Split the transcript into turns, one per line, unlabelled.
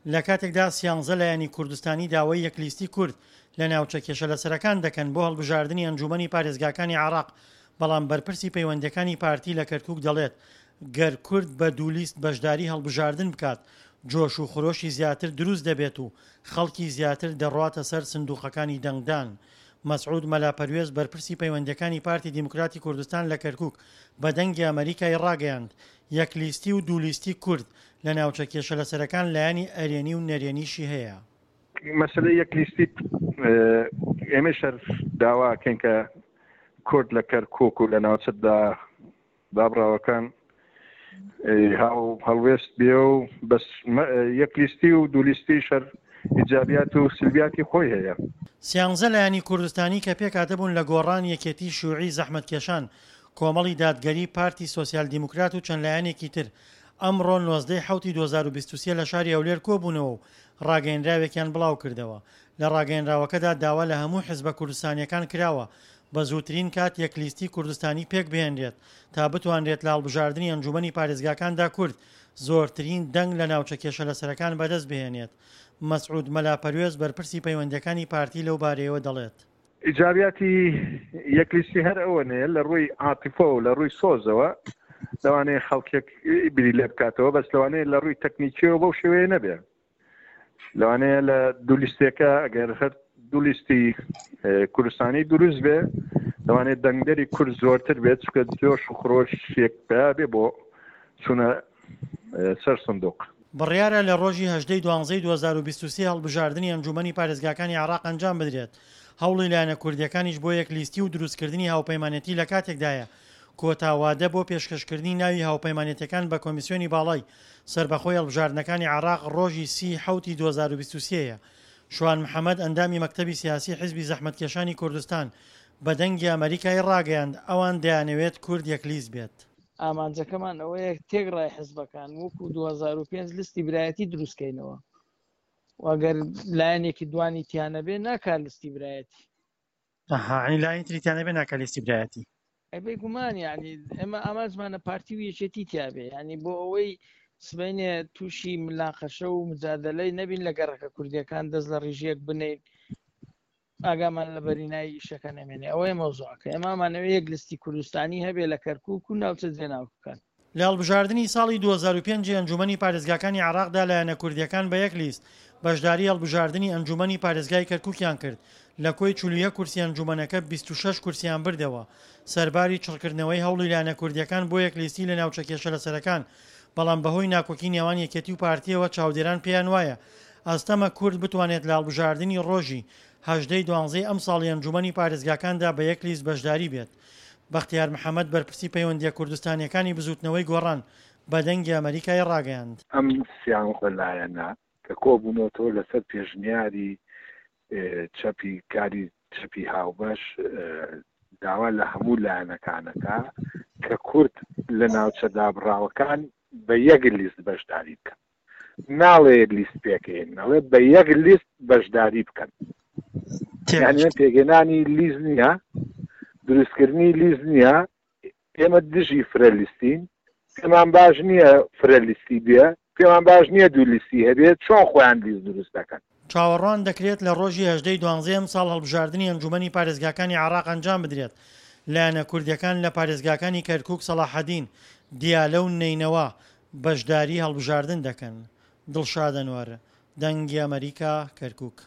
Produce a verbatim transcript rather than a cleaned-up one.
لە کاتێکدا سیانزە لایەنی کوردستانی داوای یەک لیستی کورد لە ناوچە کێشە لەسەرەکان دەکەن بۆ هەڵبژاردنی ئەنجومەنی پارێزگاکانی عێراق، بەڵام بەرپرسی پەیوەندییەکانی پارتی لە کەرکوک دەڵێت، گەر کورد بە دوو لیست بەشداری هەڵبژاردن بکات جۆش و خرۆشی زیاتر دروست دەبێت و خەڵکی زیاتر دەڕواتە سەر سندوقەکانی دەنگدان. مەسعود مەلا پەروێز بەرپرسی پەیوەندییەکانی پارتی دیموکراتی کوردستان لە کەرکوک بە دەنگی ئەمەریکای ڕاگەیاند، یەک لیستی و دوو لیستی کورد لە ناوچە کێشە لەسەرەکان لایەنی ئەرێنی و نەرێنیشی هەیە.
مەسەلەی یەک لیستی ئێمەیش هەر داوا ئەکەین کە کورد لە کەرکوک و لە ناوچە دابڕاوەکان هاو هەڵوێست بێ و بەس یەک لیستی و دوو لیستیش هەر ئیجابیات و سلبیاتی خۆی هەیە.
سیانزە لایەنی کوردستانی کە پێکهاتەبوون لە گۆڕان، یەکێتی، شیوعی، زەحمەتکێشان، کۆمەڵی دادگەری، پارتی سۆسیال دیموکرات و چەند لایەنێکی تر ئەمڕۆ نۆزدە ی حەوتی دوو هەزار و بیست و سێ لە شاری هەولێر کۆبوونەوە و ڕاگەیەنراوێکیان بڵاوکردەوە. لە ڕاگەیەنراوەکەدا داوا لە هەموو حزبە کوردستانییەکان کراوە بە زووترین کات یەک لیستی کوردستانی پێکبهێنرێت تا بتوانرێت لە هەڵبژاردنی ئەنجومەنی پارێزگاکاندا کورد زۆرترین دەنگ لە ناوچە کێشەلەسەرەکان بەدەست بهێنێت. مەسعود مەلا پەروێز بەرپرسی پەیوەندییەکانی پارتی لەو بارەیەوە دەڵێت.
ئیجابیاتی یەک لیستی هەر ئەوەنەیە لە ڕووی عاتیفە و لە ڕووی سۆزەوە لەوانەیە خەڵکێک بیری لێ بکاتەوە، بەس لەوانەیە لە ڕووی تەکنیکیەوە بەو شێوەیە نەبێ. لەوانەیە لە دوو لیستێکە ئەگەر هەر دوو لیستی کوردستانی دروست بێ لەوانەیە دەنگدەری کورد زۆرتر بێت، چونکە جۆش و خرۆشێک پیا بێ بۆ چوونە سەر سندوق.
بڕیارە لە ڕۆژی هەژدە ی دوانزەی دوو هەزار و بیست و سێ هەڵبژاردنی ئەنجوومەنی پارێزگاکانی عێراق ئەنجام بدرێت، هەوڵی لایەنە کوردییەکانیش بۆ یەک لیستی و دروستکردنی هاوپەیمانێتی لە کاتێکدایە کۆتا وادە بۆ پێشکەشکردنی ناوی هاوپەیمانێتیەکان بە کۆمیسیۆنی باڵای سەربەخۆی هەڵبژاردنەکانی عێراق ڕۆژی سی ی حەوتی دوو هەزار و بیست و سێ یە. شوان محەمەد ئەندامی مەکتەبی سیاسی حیزبی زەحمەتکێشانی کوردستان بە دەنگی ئەمەریکای ڕاگەیاند ئەوان دەیانەوێت کورد یەک لیست بێت.
ئامانجەکەمان ئەوەیە تێکڕای حزبەکان وەکو دوو هەزار و پێنج لیستی برایەتی دروستکەینەوە و ئەگەر لایەنێکی دوانی تیا نەبێ ناکا لیستی برایەتی.
ئەها یانی لایەنی تری تیا نەبێ ناکا لیستی برایەتی.
ئەی بێگومان یانی ئێمە ئامانجمانە پارتی و یەکێتی تیا بێ یانی بۆ ئەوەی سبەینێ تووشی ملاقەشە و مجادەلەی نەبین لە گەڕەکە کوردیەکان دەست لە ڕیژیەک بنین ئاگامان لە بەرینایی ئیشەکە نەمێنێ ئەوەیە مەوزوعەکە ئێمە ئەمانەوێ یەک لیستی کوردستانی هەبێ لە کەرکوک و ناوچە جێناوکەکان.
لە هەڵبژاردنی ساڵی دوو هەزار و پێنج ی ئەنجوومەنی پارێزگاکانی عێراقدا لایەنە کوردییەکان بە یەک لیست بەشداری هەڵبژاردنی ئەنجوومەنی پارێزگای کەرکوکیان کرد، لە کۆی چل و یەک کورسی ئەنجوومەنەکە بیست و شەش کورسیان بردەوە، سەرباری چڕکردنەوەی هەوڵی لایەنە کوردییەکان بۆ یەک لیستی لە ناوچە کێشەلەسەرەکان، بەڵام بەهۆی ناکۆکی نێوان یەکێتی و پارتییەوە چاودێران پێیان وایە ئەستەمە کورد بتوانێت لە هەڵبژاردنی ڕۆژی هەژدە ی دوانزەی ئەمساڵی ئەنجوومەنی پارێزگاکاندا بە یەک لیست بەشداری بێت. بەختیار محەمەد بەرپرسی پەیوەندییە کوردستانییەکانی بزووتنەوەی گۆڕان بە دەنگی ئەمەریکای ڕاگەیاند.
ئەم سیانزە لایەنە کە کۆبوونەوەتەوە لەسەر پێشنیاری چەپی کاری چەپی هاوبەش داوا لە هەموو لایەنەکانەکە کە کورد لە ناوچە دابڕاوەکان بە یەک لیست بەشداری بکەن. ناڵێ لیست پێکهێنن، ئەڵێ بە یەک لیست بەشداری بکەن. یعنی پێکهێنانی لیست نییە، دروستکردنی لیست نییە. ئێمە دژی فرە لیستین، پێمان باش نییە فرە لیستی بێ، پێمان باش نییە دوو لیستی هەبێت، چۆن خۆیان لیست دروست دەکەن؟
چاوەڕوان دەکرێت لە ڕۆژی هەژدە ی دوانزەی ئەمساڵ هەڵبژاردنی ئەنجومەنی پارێزگاکانی عێراق ئەنجام بدرێت، لایەنە کوردییەکان لە پارێزگاکانی کەرکوک، سەڵاحەدین، دیالە و نەینەوا بەشداری هەڵبژاردن دەکەن. دڵشاد ئەنوەر، دەنگی ئەمەریکا، کەرکوک.